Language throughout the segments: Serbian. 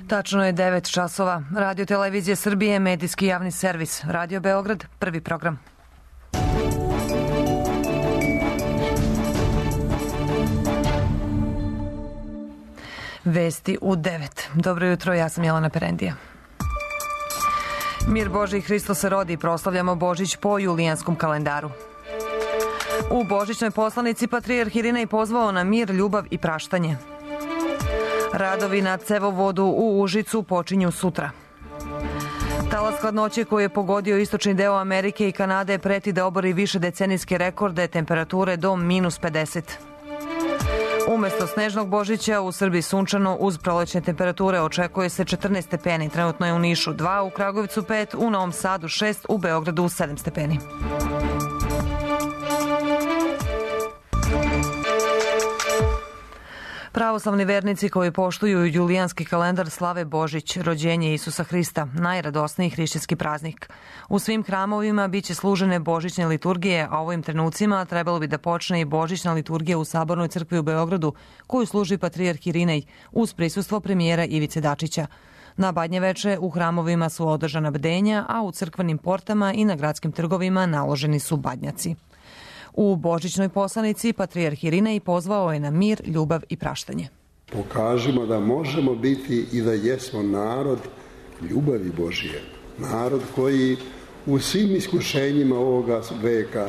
Tačno je 9 časova. Radio Televizije Srbije, medijski javni servis. Radio Beograd, prvi program. Vesti u 9. Dobro jutro, ja sam Jelena Perendija. Mir Božji, Hristos se rodi, proslavljamo Božić po julijanskom kalendaru. U božićnoj poslanici patrijarh Irinej pozvao na mir, ljubav i praštanje. Radovi na cevovodu u Užicu počinju sutra. Talas hladnoće koji je pogodio istočni deo Amerike i Kanade preti da obori više decenijske rekorde temperature do -50. Umesto snežnog Božića u Srbiji sunčano uz prolećne temperature očekuje se 14 stepeni. Trenutno je u Nišu 2, u Kragujevcu 5, u Novom Sadu 6, u Beogradu 7 stepeni. Pravoslavni vernici koji poštuju julijanski kalendar slave Božić, rođenje Isusa Hrista, najradosniji hrišćanski praznik. U svim hramovima biće služene božićne liturgije, a ovim trenucima trebalo bi da počne i božićna liturgija u Sabornoj crkvi u Beogradu, koju služi patrijarh Irinej, uz prisustvo premijera Ivice Dačića. Na Badnjeveče u hramovima su održana bdenja, a u crkvenim portama i na gradskim trgovima naloženi su badnjaci. U božićnoj poslanici patrijarh Irinej pozvao je na mir, ljubav i praštanje. Pokažimo da možemo biti i da jesmo narod ljubavi Božije. Narod koji u svim iskušenjima ovoga veka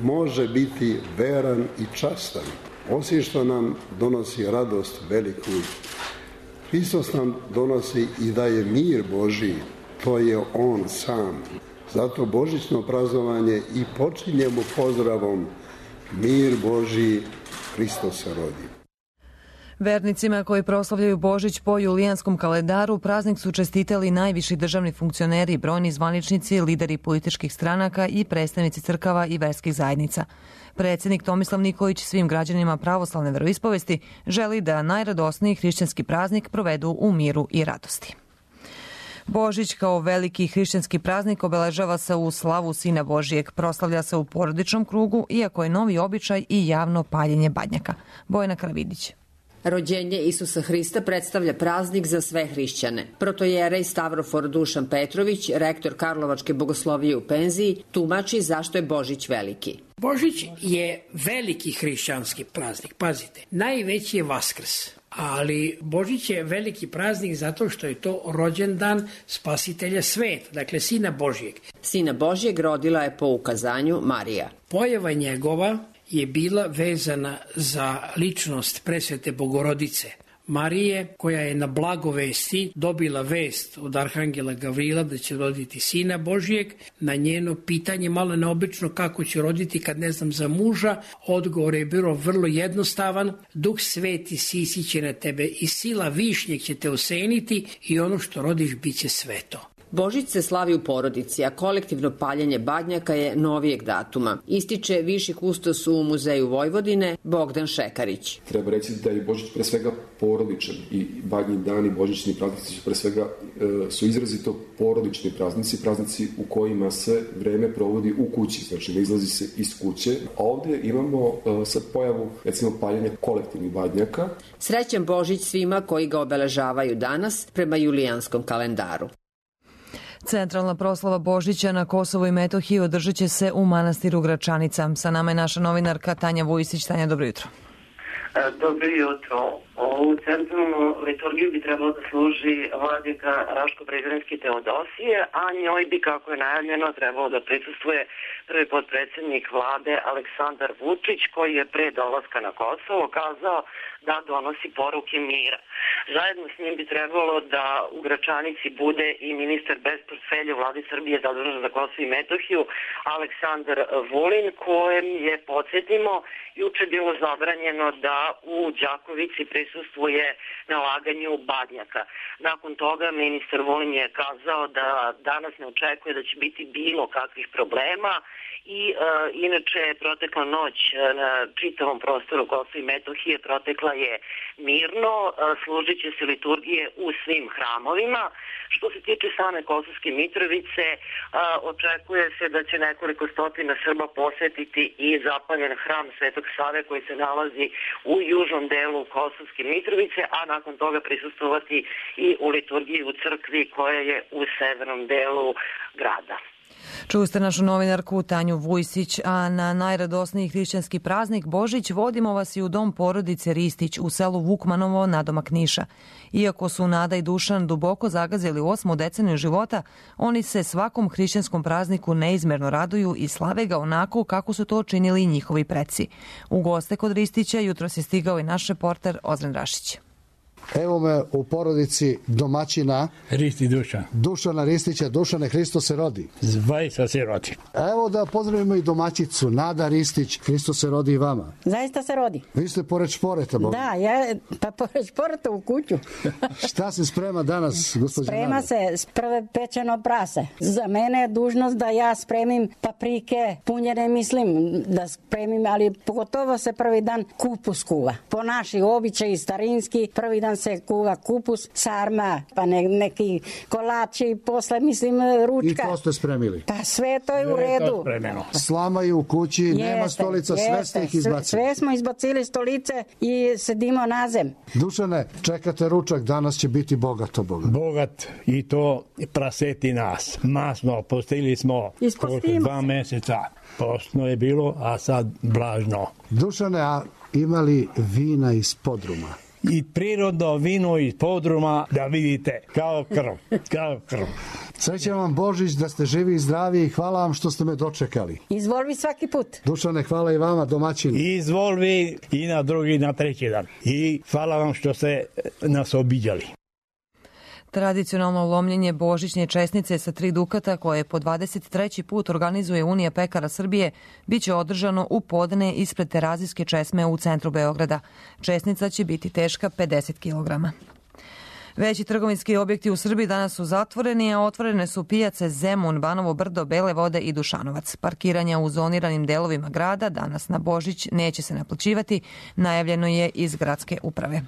može biti veran i častan. Osim što nam donosi radost veliku, Hristos nam donosi i daje mir Božiji. To je On sam. Zato božićno praznovanje i počinjemo pozdravom mir Božiji, Hristos se rodi. Vernicima koji proslavljaju Božić po julijanskom kalendaru praznik su čestitali najviši državni funkcioneri, brojni zvaničnici, lideri političkih stranaka i predstavnici crkava i verskih zajednica. Predsjednik Tomislav Nikolić svim građanima pravoslavne veroispovesti želi da najradosniji hrišćanski praznik provedu u miru i radosti. Božić kao veliki hrišćanski praznik obeležava se u slavu Sina Božijeg, proslavlja se u porodičnom krugu, iako je novi običaj i javno paljenje badnjaka. Bojana Karavidić. Rođenje Isusa Hrista predstavlja praznik za sve hrišćane. Protojerej Stavrofor Dušan Petrović, rektor Karlovačke bogoslovije u penziji, tumači zašto je Božić veliki. Božić je veliki hrišćanski praznik, pazite, najveći je Vaskrs. Ali Božić je veliki praznik zato što je to rođendan spasitelja sveta, dakle Sina Božijeg. Sina Božijeg rodila je po ukazanju Marija. Pojava njegova je bila vezana za ličnost presvete Bogorodice Marije, koja je na blagovesti dobila vest od arhangela Gavrila da će roditi Sina Božijeg. Na njeno pitanje, malo neobično kako će roditi kad ne znam za muža, odgovor je bilo vrlo jednostavan: Duh Sveti sisiće na tebe i sila višnjeg će te oseniti i ono što rodiš bit će sveto. Božić se slavi u porodici, a kolektivno paljenje badnjaka je novijeg datuma. Ističe viši kustos u Muzeju Vojvodine Bogdan Šekarić. Treba reći da je Božić pre svega porodičan i badnji dani, božićni praznici pre svega su izrazito porodični praznici u kojima se vreme provodi u kući, znači ne izlazi se iz kuće. A ovdje imamo sad pojavu, recimo, paljenja kolektivnih badnjaka. Srećan Božić svima koji ga obeležavaju danas prema julijanskom kalendaru. Centralna proslava Božića na Kosovu i Metohiji održat će se u manastiru Gračanica. Sa nama je naša novinarka Tanja Vujisić. Tanja, dobro jutro. Dobro jutro. U centralnu liturgiju bi trebalo da služi vladika Raško-Prizrenski Teodosije, a njoj bi, kako je najavljeno, trebalo da prisustvuje prvi potpredsjednik vlade Aleksandar Vučić, koji je pre dolaska na Kosovo kazao da donosi poruke mira. Zajedno s njim bi trebalo da u Gračanici bude i ministar bez portfelja u vladi Srbije zadužen za Kosovo i Metohiju Aleksandar Vulin, kojem je, podsjetimo, juče bilo zabranjeno da u Đakovici prisustvuje na laganju badnjaka. Nakon toga ministar Vulin je kazao da danas ne očekuje da će biti bilo kakvih problema i inače protekla noć na čitavom prostoru Kosova i Metohije protekla je mirno, služit će se liturgije u svim hramovima. Što se tiče same Kosovske Mitrovice, očekuje se da će nekoliko stotina Srba posetiti i zapaljen hram Svetog Save koji se nalazi u u južnom delu Kosovske Mitrovice, a nakon toga prisustvovati i u liturgiji u crkvi koja je u severnom delu grada. Čuli ste našu novinarku Tanju Vujsić, a na najradosniji hrišćanski praznik Božić vodimo vas i u dom porodice Ristić u selu Vukmanovo nadomak Niša. Iako su Nada i Dušan duboko zagazili u 8. deceniju života, oni se svakom hrišćanskom prazniku neizmerno raduju i slave ga onako kako su to činili i njihovi preci. U goste kod Ristića jutros je stigao i naš reporter Ozren Rašić. Evo me u porodici domaćina Dušana Ristića. Dušane, Hristos se rodi. Zaista se rodi. Evo da pozdravimo i domaćicu Nada Ristić. Hristos se rodi i vama. Zaista se rodi. Vi ste pored šporeta, Boga. Da, ja pored šporeta u kuću. Šta se sprema danas, gospođa Nada? Sprema se prve pečeno prase. Za mene je dužnost da ja spremim paprike, punjene mislim da spremim, ali pogotovo se prvi dan kupus kuva. Po naši običaji starinski, prvi dan se kuva kupus, sarma, pa neki kolači, posle mislim ručka. I to ste spremili? Pa sve to je u redu. Slama je u kući, nema stolica, sve ste ih izbacili. Sve smo izbacili stolice i sedimo na zem. Dušane, čekate ručak, danas će biti bogato. Bogat i to praseti nas. Masno, postili smo 2 meseca. Postno je bilo, a sad blažno. Dušane, a imali vina iz podruma? I prirodno vino iz podruma, da vidite, kao krv. Srećan vam Božić, da ste živi i zdravi i hvala vam što ste me dočekali. Izvolvi svaki put. Dušane, hvala i vama, domaćini. Izvolvi i na drugi, na treći dan. I hvala vam što ste nas obiđali. Tradicionalno lomljenje božićne česnice sa 3 dukata koje po 23. put organizuje Unija pekara Srbije biće održano u podne ispred Terazijske česme u centru Beograda. Česnica će biti teška 50 kg. Veći trgovinski objekti u Srbiji danas su zatvoreni, a otvorene su pijace Zemun, Banovo Brdo, Bele Vode i Dušanovac. Parkiranja u zoniranim delovima grada danas na Božić neće se naplaćivati, najavljeno je iz gradske uprave.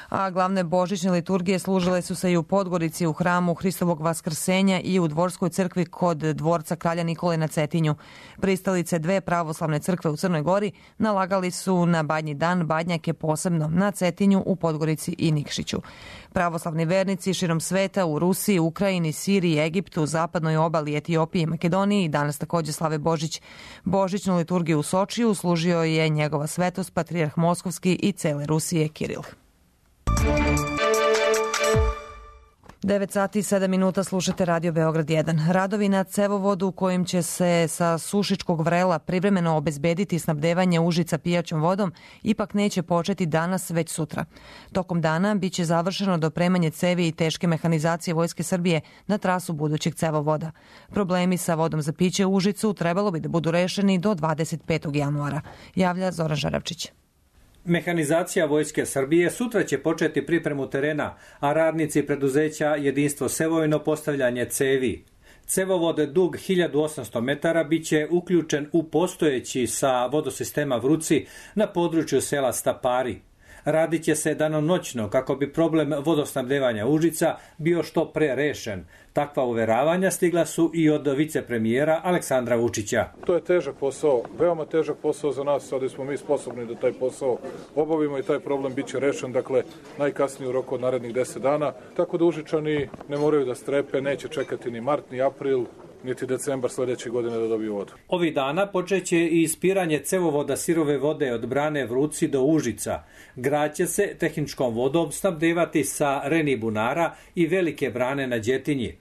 A glavne božićne liturgije služile su se i u Podgorici u hramu Hristovog Vaskrsenja i u Dvorskoj crkvi kod dvorca Kralja Nikole na Cetinju. Pristalice 2 pravoslavne crkve u Crnoj Gori nalagali su na Badnji dan badnjake posebno na Cetinju, u Podgorici i Nikšiću. Pravoslavni vernici širom sveta u Rusiji, Ukrajini, Siriji, Egiptu, zapadnoj obali, Etiopiji i Makedoniji danas također slave Božić. Božićnu liturgiju u Sočiju služio je njegova svetost patrijarh Moskovski i cele Rusije Kiril. 9 sati i 7 minuta slušate Radio Beograd 1. Radovi na cevovodu kojim će se sa Sušičkog vrela privremeno obezbediti snabdevanje Užica pijaćom vodom ipak neće početi danas, već sutra. Tokom dana biće završeno dopremanje cevi i teške mehanizacije Vojske Srbije na trasu budućeg cevovoda. Problemi sa vodom za piće u Užicu trebalo bi da budu rešeni do 25. januara, javlja Zoran Žaravčić. Mehanizacija Vojske Srbije sutra će početi pripremu terena, a radnici preduzeća Jedinstvo Sevojno postavljanje cevi. Cevovod dug 1800 metara biće uključen u postojeći sa vodosistema Vruci na području sela Stapari. Radit će se danonoćno kako bi problem vodosnabdevanja Užica bio što pre rešen. Takva uveravanja stigla su i od vicepremijera Aleksandra Vučića. To je težak posao, veoma težak posao za nas, ali smo mi sposobni da taj posao obavimo i taj problem biće rešen, dakle najkasnije u roku od narednih 10 dana. Tako da Užičani ne moraju da strepe, neće čekati ni mart, ni april, niti decembar sledeće godine da dobiju vodu. Ovih dana počeće i ispiranje cevovoda sirove vode od brane Vruci do Užica. Grad će se tehničkom vodom snabdevati sa Reni bunara i velike brane na Đetinji.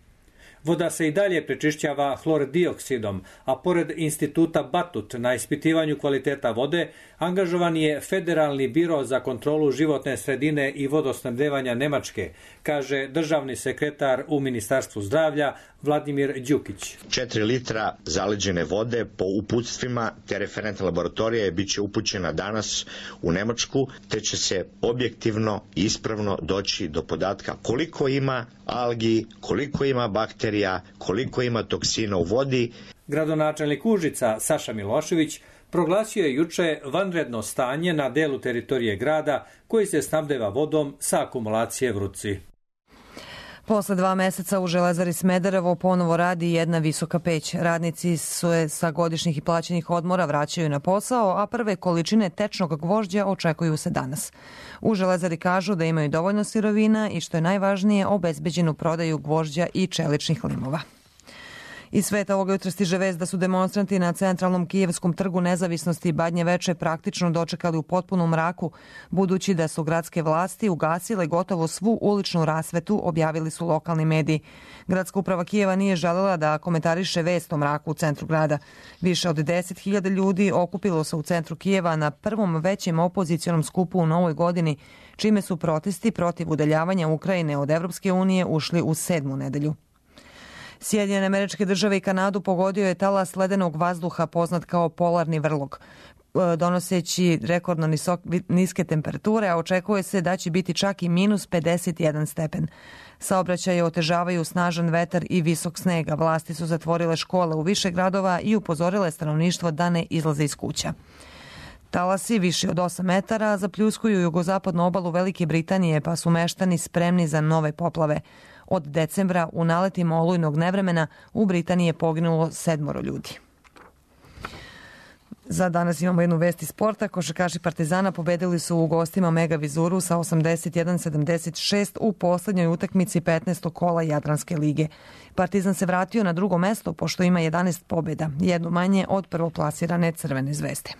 Voda se i dalje prečišćava hlordioksidom, a pored instituta Batut na ispitivanju kvaliteta vode angažovan je Federalni biro za kontrolu životne sredine i vodosnabdevanja Nemačke, kaže državni sekretar u Ministarstvu zdravlja Vladimir Đukić. 4 litra zaleđene vode po uputstvima te referentne laboratorije bit će upućena danas u Nemačku, te će se objektivno i ispravno doći do podatka koliko ima algi, koliko ima bakterija, koliko ima toksina u vodi. Gradonačelnik Užica Saša Milošević proglasio je juče vanredno stanje na delu teritorije grada koji se snabdeva vodom sa akumulacije Vruci. Posle 2 meseca u Železari Smederevo ponovo radi jedna visoka peć. Radnici se sa godišnjih i plaćenih odmora vraćaju na posao, a prve količine tečnog gvožđa očekuju se danas. U Železari kažu da imaju dovoljno sirovina i što je najvažnije, obezbeđenu prodaju gvožđa i čeličnih limova. Iz sveta ovoga jutra stiže vest da su demonstranti na centralnom kijevskom trgu Nezavisnosti Badnje Veče praktično dočekali u potpunom mraku, budući da su gradske vlasti ugasile gotovo svu uličnu rasvetu, objavili su lokalni mediji. Gradska uprava Kijeva nije želela da komentariše vest o mraku u centru grada. Više od 10.000 ljudi okupilo se u centru Kijeva na prvom većem opozicionom skupu u novoj godini, čime su protesti protiv udaljavanja Ukrajine od Evropske unije ušli u 7. nedelju. Sjedinjene Američke Države i Kanadu pogodio je talas ledenog vazduha poznat kao polarni vrlog, donoseći rekordno niske temperature, a očekuje se da će biti čak i minus 51 stepen. Saobraćaje otežavaju snažan vetar i visok sneg, a vlasti su zatvorile škole u više gradova i upozorile stanovništvo da ne izlaze iz kuća. Talasi viši od 8 metara zapljuskuju jugozapadnu obalu Velike Britanije, pa su meštani spremni za nove poplave. Od decembra u naletima olujnog nevremena u Britaniji je poginulo 7 ljudi. Za danas imamo jednu vest iz sporta. Košarkaši Partizana pobedili su u gostima Mega Vizuru sa 81-76 u poslednjoj utakmici 15. kola Jadranske lige. Partizan se vratio na drugo mesto pošto ima 11 pobjeda, jednu manje od prvoplasirane Crvene zvezde.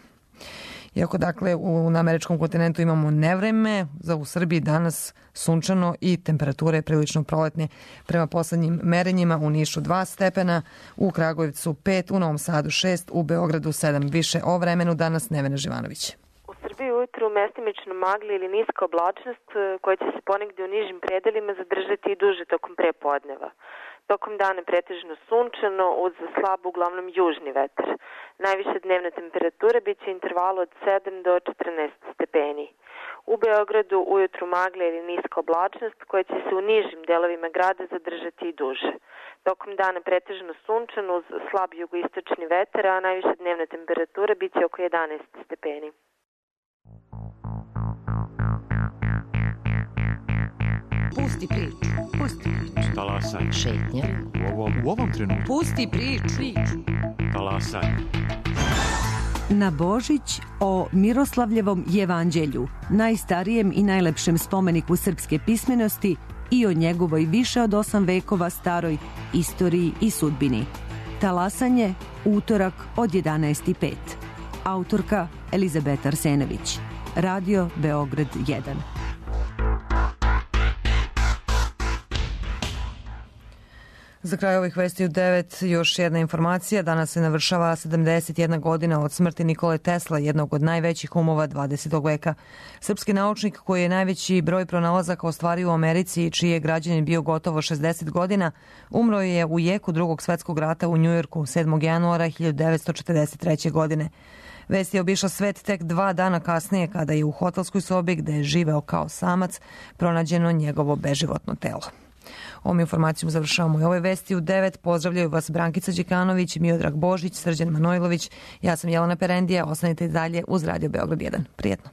Iako dakle na američkom kontinentu imamo nevreme, u Srbiji danas sunčano i temperature prilično proletne. Prema poslednjim merenjima u Nišu 2 stepena, u Kragujevcu 5, u Novom Sadu 6, u Beogradu 7. Više o vremenu danas Nevena Živanović. U Srbiji ujutru mestimično magla ili niska oblačnost koja će se ponegdje u nižim predelima zadržati i duže tokom prepodneva. Tokom dana pretežno sunčano uz slab uglavnom južni vetar. Najviša dnevna temperatura bit će intervalu od 7 do 14 stepeni. U Beogradu ujutru magla ili niska oblačnost koja će se u nižim delovima grada zadržati i duže. Tokom dana pretežno sunčano uz slab jugoistočni vetar, a najviša dnevna temperatura bit će oko 11 stepeni. Pusti priču. Pusti priču. Talasaj. Šetnja. U ovom trenutku. Pusti priču. Talasaj. Na Božić o Miroslavljevom jevanđelju, najstarijem i najlepšem spomeniku srpske pismenosti i o njegovoj više od 8 vekova staroj istoriji i sudbini. Talasanje, utorak od 11:05. Autorka Elizabeta Arsenević. Radio Beograd 1. Za kraj ovih vesti u 9 još jedna informacija. Danas se navršava 71 godina od smrti Nikole Tesla, jednog od najvećih umova 20. veka. Srpski naučnik koji je najveći broj pronalazaka ostvario u Americi i čiji je građanin bio gotovo 60 godina, umro je u jeku Drugog svetskog rata u Njujorku 7. januara 1943. godine. Vest je obišla svet tek 2 dana kasnije kada je u hotelskoj sobi gde je živeo kao samac pronađeno njegovo beživotno telo. Ovom informacijom završavamo i ove vesti u 9. Pozdravljaju vas Brankica Đikanović, Miodrag Božić, Srđan Manojlović. Ja sam Jelena Perendija. Ostanite dalje uz Radio Beograd 1. Prijetno.